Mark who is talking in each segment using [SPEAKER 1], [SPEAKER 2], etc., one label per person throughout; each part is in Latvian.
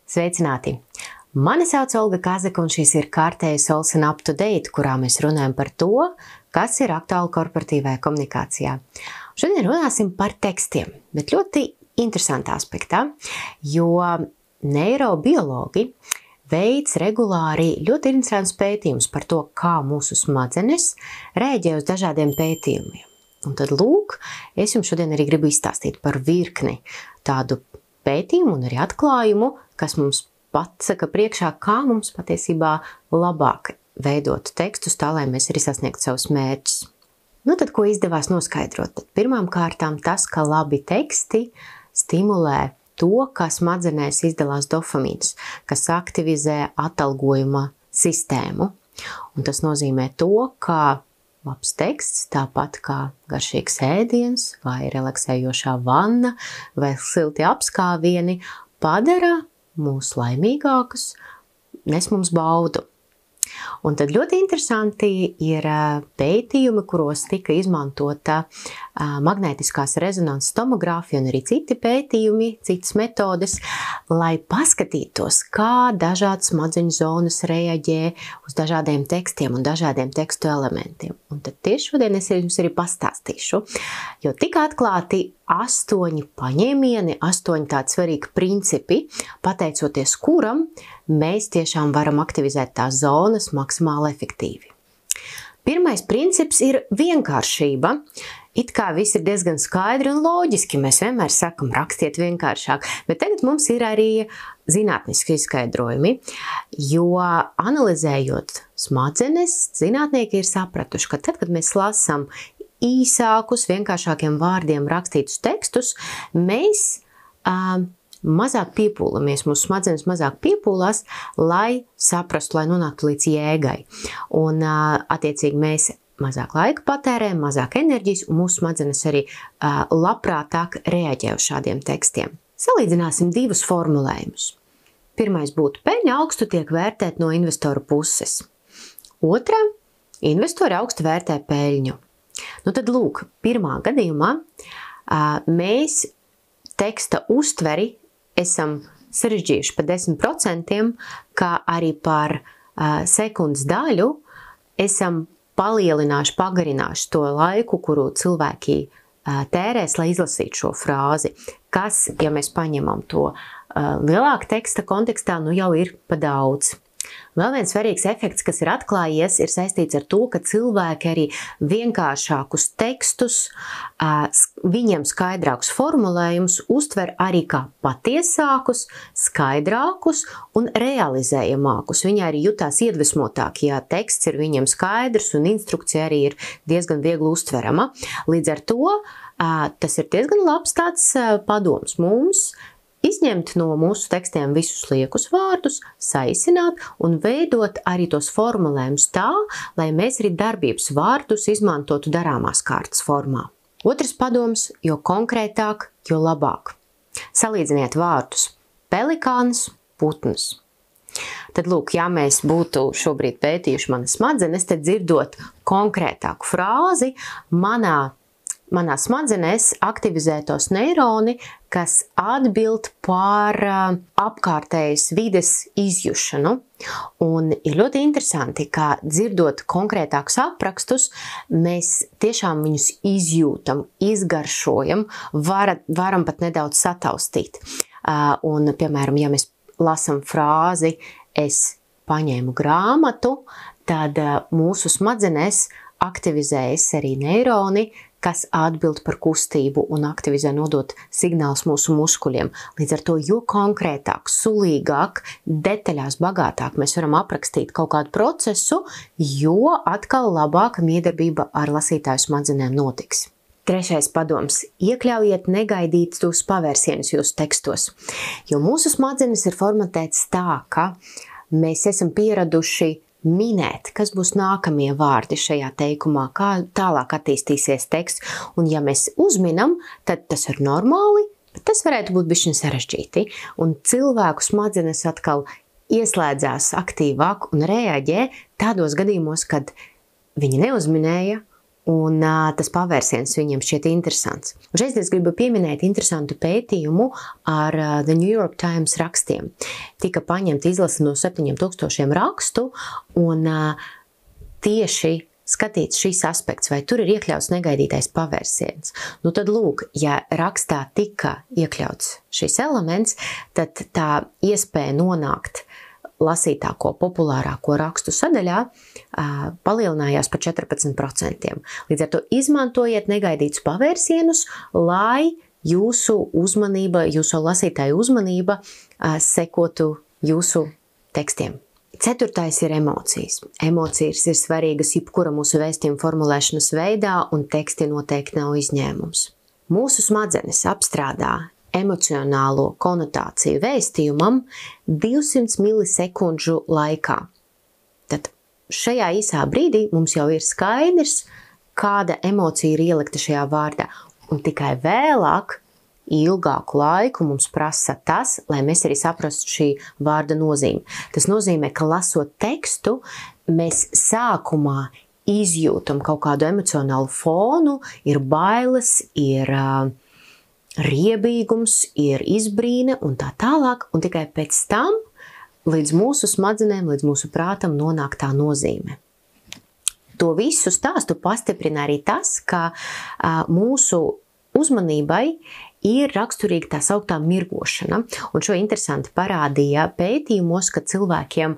[SPEAKER 1] Sveicināti! Mani sauc Olga Kazaka, un šis ir kārtējais Olsen Up to Date, kurā mēs runājam par to, kas ir aktuāli korporatīvajā komunikācijā. Šodien runāsim par tekstiem, bet ļoti interesantā aspektā, jo neirobiologi veic regulāri ļoti interesants pētījums par to, kā mūsu smadzenes rēģē uz dažādiem pētījumiem. Un tad lūk, es jums šodien arī gribu izstāstīt par virkni tādu pētījumu un arī atklājumu, kas mums pasaka priekšā, kā mums patiesībā labāk veidot tekstus tā, lai mēs arī sasniegtu savus mērķus. Nu tad, ko izdevās noskaidrot? Tad pirmām kārtām tas, ka labi teksti stimulē to, ka smadzenēs izdalās dopamīns, kas aktivizē atalgojuma sistēmu. Un tas nozīmē to, ka labs teksts, tāpat kā garšīgs ēdiens vai relaksējošā vanna vai silti apskāvieni, padara mūs laimīgākus, nes mums baudu. Un tad ļoti interesanti ir pētījumi, kuros tika izmantota magnētiskās rezonanses tomogrāfija un arī citi pētījumi, citas metodes, lai paskatītos, kā dažādas smadzeņu zonas reaģē uz dažādiem tekstiem un dažādiem tekstu elementiem. Un tad tieši šodien es jums arī pastāstīšu, jo tika atklāti 8 paņēmieni, 8 tādi svarīgi principi, pateicoties kuram mēs tiešām varam aktivizēt tās zonas maksimāli efektīvi. Pirmais princips ir vienkāršība. It kā viss ir diezgan skaidri un loģiski, mēs vienmēr sakam, rakstiet vienkāršāk, bet tagad mums ir arī zinātniski izskaidrojumi, jo analizējot smadzenes, zinātnieki ir sapratuši, ka tad, kad mēs lasām īsākus, vienkāršākiem vārdiem rakstītus tekstus, mēs mazāk piepūlamies, mūsu smadzenes mazāk piepūlās, lai saprastu, lai nonāktu līdz jēgai. Un attiecīgi mēs mazāk laika patērējam, mazāk enerģijas, un mūsu smadzenes arī labprātāk reaģē uz šādiem tekstiem. Salīdzināsim 2 formulējumus. Pirmais būtu: peļņa augstu tiek vērtēt no investoru puses. Otra: investori augstu vērtē peļņu. Nu tad lūk, pirmā gadījumā mēs teksta uztveri esam sarežģījuši par 10%, kā arī par sekundes daļu esam palielinājuši, pagarinājuši to laiku, kuru cilvēki tērēs, lai izlasītu šo frāzi, kas, ja mēs paņemam to lielāka teksta kontekstā, nu jau ir pa daudz. Vēl viens svarīgs efekts, kas ir atklājies, ir saistīts ar to, ka cilvēki arī vienkāršākus tekstus, viņiem skaidrākus formulējumus uztver arī kā patiesākus, skaidrākus un realizējamākus. Viņi arī jutās iedvesmotāki, ja teksts ir viņiem skaidrs un instrukcija arī ir diezgan viegli uztverama. Līdz ar to tas ir diezgan labs tāds padoms mums, izņemt no mūsu tekstiem visus liekus vārdus, saīsināt un veidot arī tos formulējumus tā, lai mēs arī darbības vārdus izmantotu darāmās kārtas formā. Otrs padoms: jo konkrētāk, jo labāk. Salīdziniet vārdus: pelikāns, putns. Tad lūk, ja mēs būtu šobrīd pētījuši manas smadzenes, tad dzirdot konkrētāku frāzi, manā smadzenēs aktivizētos neironi, kas atbild par apkārtējas vides izjušanu. Un ir ļoti interesanti, ka dzirdot konkrētākus aprakstus, mēs tiešām viņus izjūtam, izgaršojam, varam pat nedaudz sataustīt. Un, piemēram, ja mēs lasam frāzi "es paņēmu grāmatu", tad mūsu smadzenēs aktivizējas arī neironi, kas atbild par kustību un aktivizē nodot signālus mūsu muskuļiem. Līdz ar to, jo konkrētāk, sulīgāk, detaļās bagātāk mēs varam aprakstīt kaut kādu procesu, jo atkal labāka miedarbība ar lasītāju smadzenēm notiks. Trešais padoms: iekļaujiet negaidītus pavērsienus jūsu tekstos, jo mūsu smadzenes ir formatētas tā, ka mēs esam pieraduši minēt, kas būs nākamie vārdi šajā teikumā, kā tālāk attīstīsies teksts. Un ja mēs uzminam, tad tas ir normāli, bet tas varētu būt bišķiņ sarežģīti. Un cilvēku smadzenes atkal ieslēdzās aktīvāk un reaģē tādos gadījumos, kad viņi neuzminēja un tas pavērsiens viņiem šķiet interesants. Un šeit es gribu pieminēt interesantu pētījumu ar The New York Times rakstiem. Tika paņemta izlase no 7000 rakstu, un tieši skatīts šis aspekts, vai tur ir iekļauts negaidītais pavērsiens. Nu tad lūk, ja rakstā tika iekļauts šis elements, tad tā iespēja nonākt lasītāko, populārāko rakstu sadaļā palielinājās par 14%. Līdz ar to izmantojiet negaidītus pavērsienus, lai jūsu uzmanība, jūsu lasītāju uzmanība sekotu jūsu tekstiem. 4. ir emocijas. Emocijas ir svarīgas jebkura mūsu vēstījuma formulēšanas veidā, un teksti noteikti nav izņēmums. Mūsu smadzenes apstrādā emocionālo konotāciju vēstījumam 200 milisekundžu laikā. Tad šajā īsā brīdī mums jau ir skaidrs, kāda emocija ir ielikta šajā vārdā, un tikai vēlāk ilgāku laiku mums prasa tas, lai mēs arī saprastu šī vārda nozīmi. Tas nozīmē, ka lasot tekstu, mēs sākumā izjūtam kaut kādu emocionālu fonu, ir bailes, ir riebīgums, ir izbrīne un tā tālāk, un tikai pēc tam līdz mūsu smadzenēm, līdz mūsu prātam nonāk tā nozīme. To visu stāstu pastiprina arī tas, ka mūsu uzmanībai ir raksturīga tā sauktā mirgošana, un šo interesanti parādīja pētījumos, ka cilvēkiem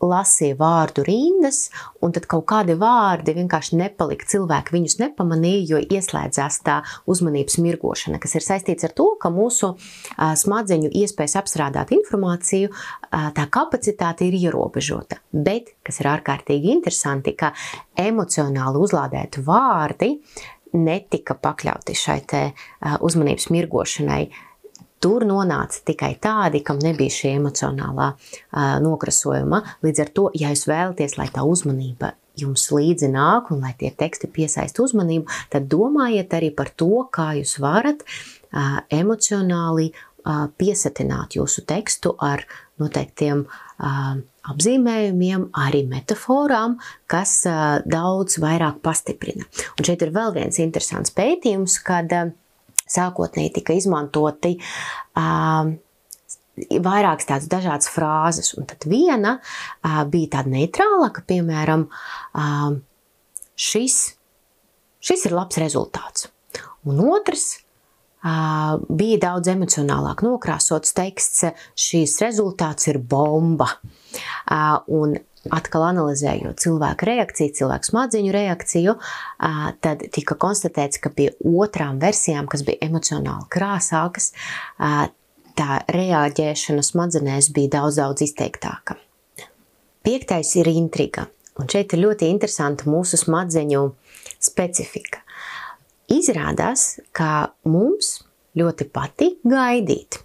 [SPEAKER 1] lasīja vārdu rindas, un tad kaut kādi vārdi vienkārši nepalika, cilvēki viņus nepamanīja, jo ieslēdzās tā uzmanības mirgošana, kas ir saistīts ar to, ka mūsu smadzeņu iespējas apstrādāt informāciju, tā kapacitāte ir ierobežota. Bet, kas ir ārkārtīgi interesanti, ka emocionāli uzlādēti vārdi netika pakļauti šai te uzmanības mirgošanai. Tur nonāca tikai tādi, kam nebija šī emocionālā nokrasojuma. Līdz ar to, ja jūs vēlaties, lai tā uzmanība jums līdzi nāk un lai tie teksti piesaista uzmanību, tad domājiet arī par to, kā jūs varat emocionāli piesatināt jūsu tekstu ar noteiktiem apzīmējumiem, arī metaforām, kas daudz vairāk pastiprina. Un šeit ir vēl viens interesants pētījums, kad sākotnēji tika izmantoti vairākas tādas dažādas frāzes, un tad viena bija tāda neitrāla, ka, piemēram, šis ir labs rezultāts. Un otrs bija daudz emocionālāk nokrāsots teksts, šīs rezultāts ir bomba. Un atkal analizējot cilvēku reakciju, cilvēku smadzeņu reakciju, tad tika konstatēts, ka pie otrām versijām, kas bija emocionāli krāsākas, tā reaģēšana smadzenēs bija daudz izteiktāka. 5. ir intriga, un šeit ir ļoti interesanta mūsu smadzeņu specifika. Izrādās, ka mums ļoti patīk gaidīt,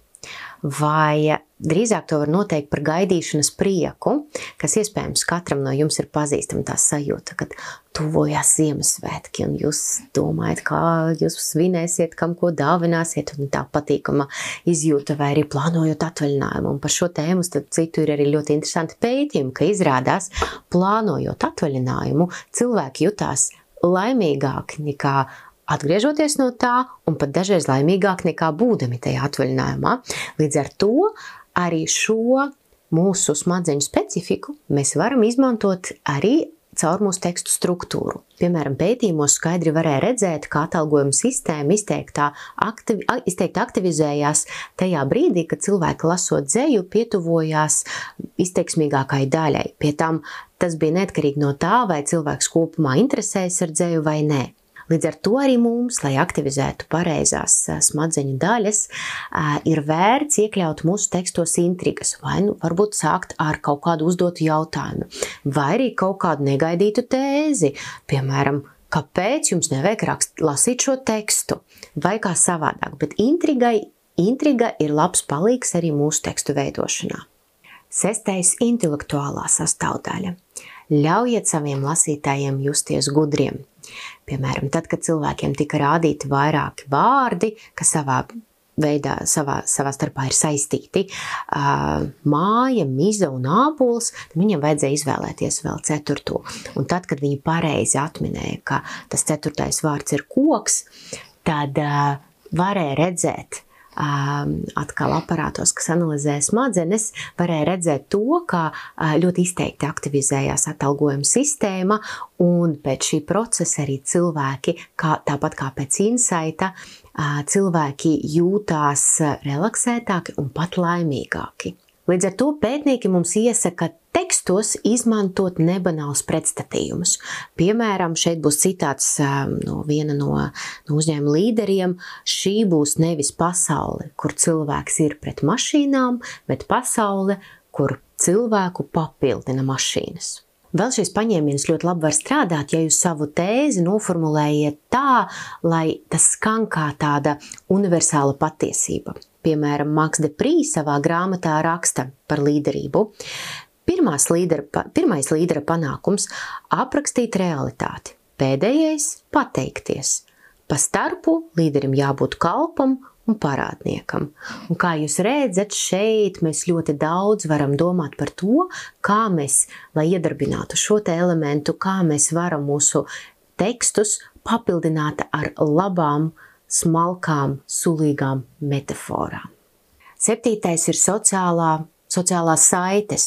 [SPEAKER 1] vai drīzāk to var noteikt par gaidīšanas prieku, kas iespējams katram no jums ir pazīstama tā sajūta, kad tuvojās Ziemassvētki un jūs domājat, kā jūs svinēsiet, kam ko dāvināsiet, un tā patīkama izjūta, vai arī plānojot atvaļinājumu. Un par šo tēmu, starp citu, ir arī ļoti interesanti pētījumi, ka izrādās, plānojot atvaļinājumu, cilvēki jutās laimīgāki nekā atgriežoties no tā, un pat dažreiz laimīgāk nekā būdami tajā atvaļinājumā. Līdz ar to arī šo mūsu smadzeņu specifiku mēs varam izmantot arī caur mūsu tekstu struktūru. Piemēram, pētījumos skaidri varēja redzēt, kā atalgojuma sistēma izteikti aktivizējās tajā brīdī, kad cilvēki lasot dzeju pietuvojās izteiksmīgākai daļai. Pie tam tas bija neatkarīgi no tā, vai cilvēks kopumā interesējas ar dzeju vai nē. Līdz ar to arī mums, lai aktivizētu pareizās smadzeņu daļas, ir vērts iekļaut mūsu tekstos intrigas, vai varbūt sākt ar kaut kādu uzdotu jautājumu, vai arī kaut kādu negaidītu tēzi, piemēram, kāpēc jums nevajag lasīt šo tekstu, vai kā savādāk, bet intriga ir labs palīgs arī mūsu tekstu veidošanā. 6. intelektuālā sastāvdaļa. Ļaujiet saviem lasītājiem justies gudriem. Piemēram, tad, kad cilvēkiem tika rādīti vairāki vārdi, kas savā veidā savā starpā ir saistīti māja, miza un ābols, tad viņam vajadzēja izvēlēties vēl 4. Un tad, kad viņi pareizi atminēja, ka tas 4. vārds ir koks, tad varēja redzēt, atkal aparātos, kas analizē smadzenes, varēja redzēt to, kā ļoti izteikti aktivizējās atalgojuma sistēma, un pēc šī procesa arī cilvēki, tāpat kā pēc insaita, cilvēki jūtās relaksētāki un pat laimīgāki. Līdz ar to pētnieki mums iesaka tekstos izmantot nebanāls pretstatījumus. Piemēram, šeit būs citāts no viena no uzņēmuma līderiem. Šī būs nevis pasaule, kur cilvēks ir pret mašīnām, bet pasaule, kur cilvēku papildina mašīnas. Vēl šis paņēmiens ļoti labi var strādāt, ja jūs savu tēzi noformulējiet tā, lai tas skan kā tāda universāla patiesība. Piemēram, Maks de Prī savā grāmatā raksta par līderību. Pirmais līdera panākums – aprakstīt realitāti. Pēdējais – pateikties. Pa starpu līderim jābūt kalpam un parādniekam. Un kā jūs redzat, šeit mēs ļoti daudz varam domāt par to, kā mēs, lai iedarbinātu šo te elementu, kā mēs varam mūsu tekstus papildināt ar labām, smalkām, sulīgām metaforām. 7. ir sociālās saites,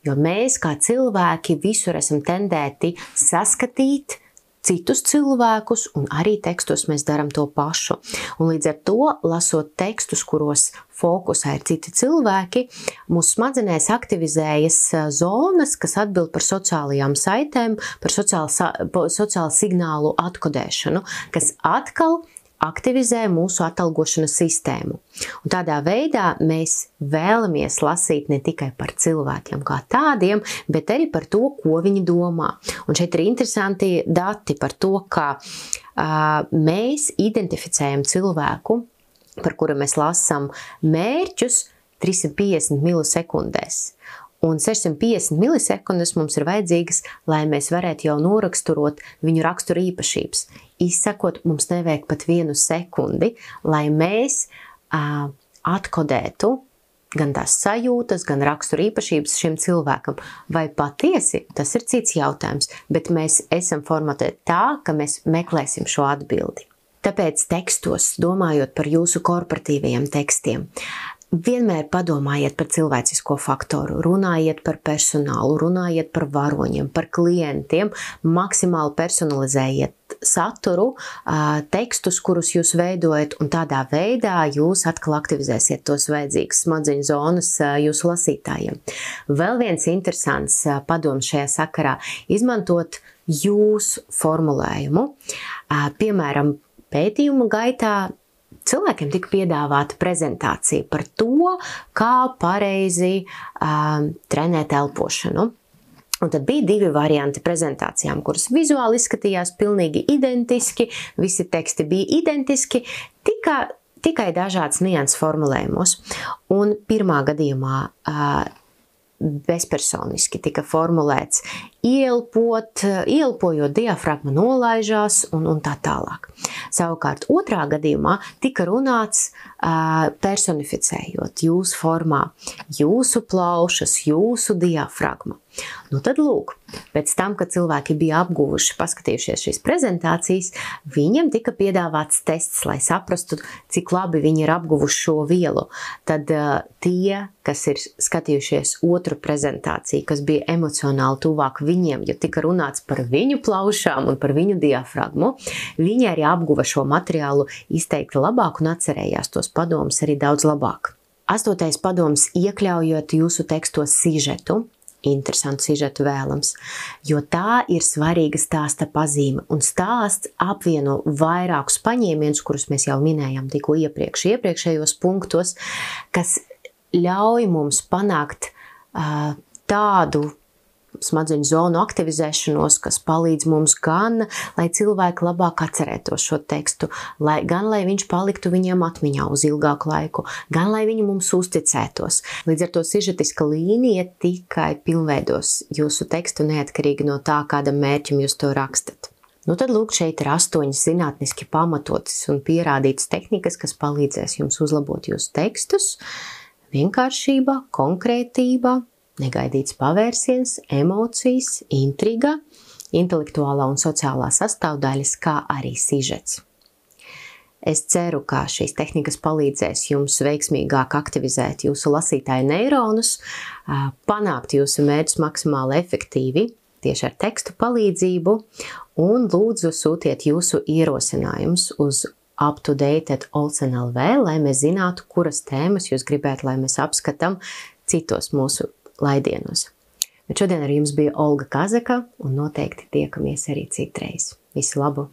[SPEAKER 1] jo mēs kā cilvēki visur esam tendēti saskatīt citus cilvēkus, un arī tekstos mēs darām to pašu. Un līdz ar to, lasot tekstus, kuros fokusā ir citi cilvēki, mūsu smadzenēs aktivizējas zonas, kas atbild par sociālajām saitēm, par sociālu signālu atkodēšanu, kas atkal aktivizē mūsu atalgošanas sistēmu. Un tādā veidā mēs vēlamies lasīt ne tikai par cilvēkiem kā tādiem, bet arī par to, ko viņi domā. Un šeit ir interesanti dati par to, ka mēs identificējam cilvēku, par kuru mēs lasām mērķus 350 milisekundēs. Un 650 milisekundes mums ir vajadzīgas, lai mēs varētu jau noraksturot viņu raksturu īpašības. Izsakot, mums nevajag pat 1 sekundi, lai mēs atkodētu gan tās sajūtas, gan raksturu īpašības šim cilvēkam. Vai patiesi, tas ir cits jautājums, bet mēs esam formatēti tā, ka mēs meklēsim šo atbildi. Tāpēc tekstos, domājot par jūsu korporatīvajiem tekstiem, vienmēr padomājiet par cilvēcisko faktoru, runājiet par personālu, runājiet par varoņiem, par klientiem, maksimāli personalizējiet saturu, tekstus, kurus jūs veidojat, un tādā veidā jūs atkal aktivizēsiet tos vajadzīgas smadzeņu zonas jūsu lasītājiem. Vēl viens interesants padoms šajā sakarā – izmantot jūsu formulējumu. Piemēram, pētījuma gaitā cilvēkiem tika piedāvāta prezentācija par to, kā pareizi trenēt elpošanu. Un tad bija 2 varianti prezentācijām, kuras vizuāli izskatījās pilnīgi identiski, visi teksti bija identiski, tikai dažāds nianses formulējumos. Un pirmā gadījumā bezpersoniski tika formulēts ieelpojot, diafragma nolaižās un tā tālāk. Savukārt otrā gadījumā tika runāts personificējot jūsu formā, jūsu plaušas, jūsu diafragma. Nu tad lūk, pēc tam, kad cilvēki bija apguvuši, paskatījušies šīs prezentācijas, viņiem tika piedāvāts tests, lai saprastu, cik labi viņi ir apguvuši šo vielu. Tad tie, kas ir skatījušies otru prezentāciju, kas bija emocionāli tuvāk viņiem, jo tika runāts par viņu plaušām un par viņu diafragmu, viņi arī apguva šo materiālu izteikti labāk un atcerējās tos padomus arī daudz labāk. 8. padoms – iekļaujot jūsu tekstos sižetu, interesantu sižetu vēlams, jo tā ir svarīga stāsta pazīme, un stāsts apvieno vairākus paņēmienus, kurus mēs jau minējām tikko iepriekšējos punktos, kas ļauj mums panākt tādu smadzeņu zonu aktivizēšanos, kas palīdz mums gan, lai cilvēki labāk atcerētos šo tekstu, gan, lai viņš paliktu viņiem atmiņā uz ilgāku laiku, gan, lai viņi mums uzticētos. Līdz ar to sižetiska līnija tikai pilnveidos jūsu tekstu neatkarīgi no tā, kādam mērķim jūs to rakstat. Nu tad lūk, šeit ir 8 zinātniski pamatotas un pierādītas tehnikas, kas palīdzēs jums uzlabot jūsu tekstus. Vienkāršība, konkrētība, negaidīts pavērsiens, emocijas, intriga, intelektuālā un sociālā sastāvdaļas, kā arī sižets. Es ceru, ka šīs tehnikas palīdzēs jums veiksmīgāk aktivizēt jūsu lasītāju neironus, panākt jūsu mērķus maksimāli efektīvi tieši ar tekstu palīdzību, un lūdzu sūtiet jūsu ierosinājumus uz uptodate@olsen.lv, lai mēs zinātu, kuras tēmas jūs gribētu, lai mēs apskatām citos mūsu laidienos. Bet šodien ar jums bija Olga Kazaka, un noteikti tiekamies arī citreiz. Visu labu!